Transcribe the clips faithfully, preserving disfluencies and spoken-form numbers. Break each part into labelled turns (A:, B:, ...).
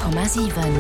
A: Komma siwen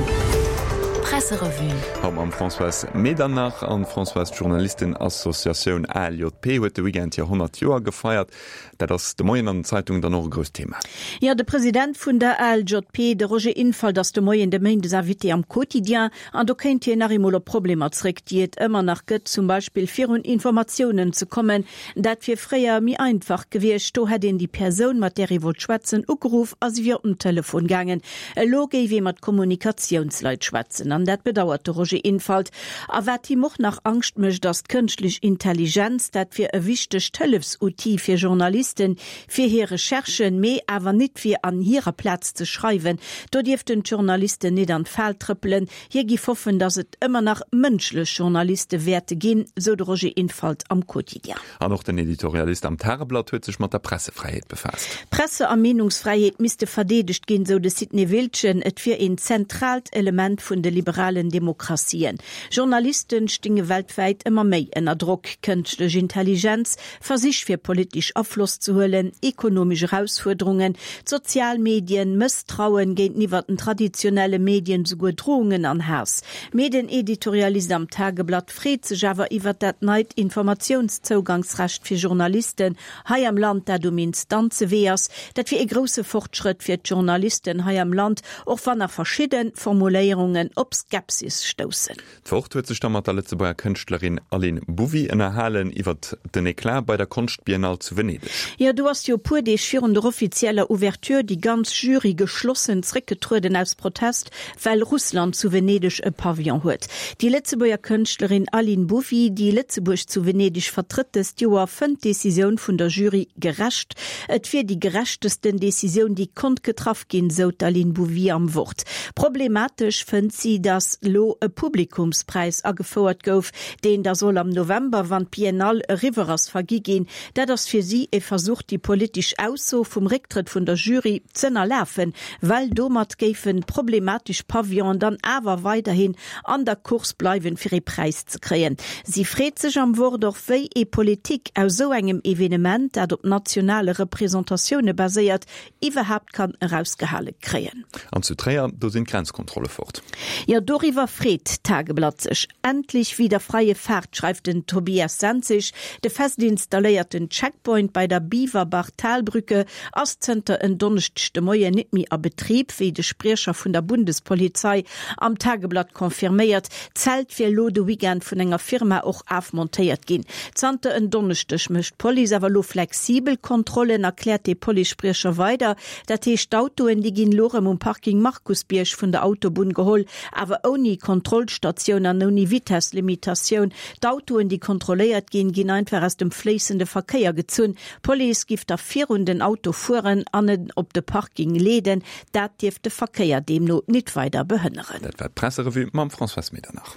A: Presserevue.
B: Haut mam Françoise Medernach. An Françoise, d'Journalistenassociatioun A L J P huet de Weekend hir honnert Joer gefeiert. Dat ass de Moien an den Zeitungen dann och e grousst Thema.
C: Jo, de President vun der A L J P, de Roger Infalt, ass de Moien de Méindesinvité am Quotidien. An do kënnt hien nach eemol op Problemer zréck, déi et ëmmer nach gëtt, zum Beispill virun Informatiounen ze kommen. Dat wier fréier méi einfach gewiescht, do hätt een déi Persoun, mat där ee wollt schwätzen, ugeruff a si wier op den Telefon gaangen. Elo géif ee mat Kommunikatiounsleit schwätzen an dat bedauert de Roger Infalt. A wat him och nach Angscht mécht, ass d'kënschtlech Intelligenz. Dat wier e wichtegt Hëllefsoutil fir Journalisten, fir hir Recherchen, mee awer nit fir an hirer Plaz ze schreiwen. Do dierften d'Journalisten nit an d'Fal trëppelen. Hie géif hoffen, datt et ëmmer nach mënschlech Journaliste wäerte ginn, sou de Roger Infalt am Quotidien.
B: An och den Editorialist am Tageblatt huet sech mat der Pressefräiheet befaasst.
C: Presse a Meenungsfräiheet misste verdeedegt ginn, sou de Sidney Wiltgen. Et wier een zentraalt Element vun de liberalen Demokratien. Journalisten stinge weltwäit ëmmer méi ënner Drock. Kënschtlech Intelligenz, Versich fir politesch Afloss ze huelen, ekonomesch Erausfuerderungen, d'sozial Medien, Mësstrauen géinteniwwer den traditionelle Medien, souguer Drohungen an Haass. Mee den Editorialist am Tageblatt freet sech awer iwwer dat neit Informatiounszougangsrecht fir Journalisten hei am Land, dat um Instanzewee ass. Dat wier e grousse Fortschrëtt fir d'Journalisten hei am Land, och wann nach verschidde Formuléierungen op Skepsis stoussen.
B: D'Wort huet sech da mat der Lëtzebuerger Kënschtlerin Aline Bouvy ënnerhalen iwwer den Eclat bei der Konschtbiennale zu Venedeg.
C: Jo, do ass jo e puer Deeg virun der offizieller Ouverture déi ganz Jury geschlossen zréckgetrueden aus Protest, well Russland zu Venedeg e Pavillon huet. Déi Lëtzebuerger Kënschtlerin Aline Bouvy, déi Lëtzebuerg zu Venedeg vertrëtt dëst Joer, fënnt d'Decisioun vun der Jury gerecht. Et wier déi gerechtesten Decisioun, déi konnt getraff ginn, sou d'Aline Bouvy am Wort. Problematesch fënnt si, datt lo e Publikumspräis agefouert gouf, deen da soll am November, wann d'Biennale eriwwer ass, vergi ginn. Dat ass fir si e Versuch, déi politesch Ausso vum Récktrëtt vun der Jury z'ënnerlafen, well domat géifen problematesch Pavillonen dann awer weiderhin an der Course bleiwen, fir e Präis ze kréien. Si freet sech am Wort och, wéi ee Politik aus sou engem Evenement, dat op nationale Representatioune baséiert, iwwerhaapt kann erausgehale kréien.
B: An zu Tréier, do sinn d'Grenzkontrolle fort.
C: Jo, doriwwer freet d'Tageblatt sech. Endlich wieder freie Fahrt, schreift den Tobias Senzig. De fest installéierten Checkpoint bei der Biwerbach-Talbrücke ass zënter en Donneschdeg de Moien net méi a Betrib, wéi de Spriecher vun der Bundespolizei am Tageblatt confirméiert. D'Zelt wier lo de Weekend vun enger Firma och afmontéiert ginn. Zanter en Donneschdeg mécht d'Police awer lo flexibel Kontrollen, erkläert de Policespriecher weider. Dat heescht, d'Autoen, déi ginn lo rëm um Parking Markusbierg vun der Autobunn geholl, awer ouni Kontrollstatioun an ouni Vitesslimitatioun. D'Autoen, déi kontrolléiert ginn, ginn einfach aus dem fléissende Verkéier gezunn. D'Police giff da virun den Auto fueren an en op de Parking leeden. Dat dierft de Verkéier deemno nit weider behënneren.
B: Dat war d'Presserevue mam Françoise Medernach.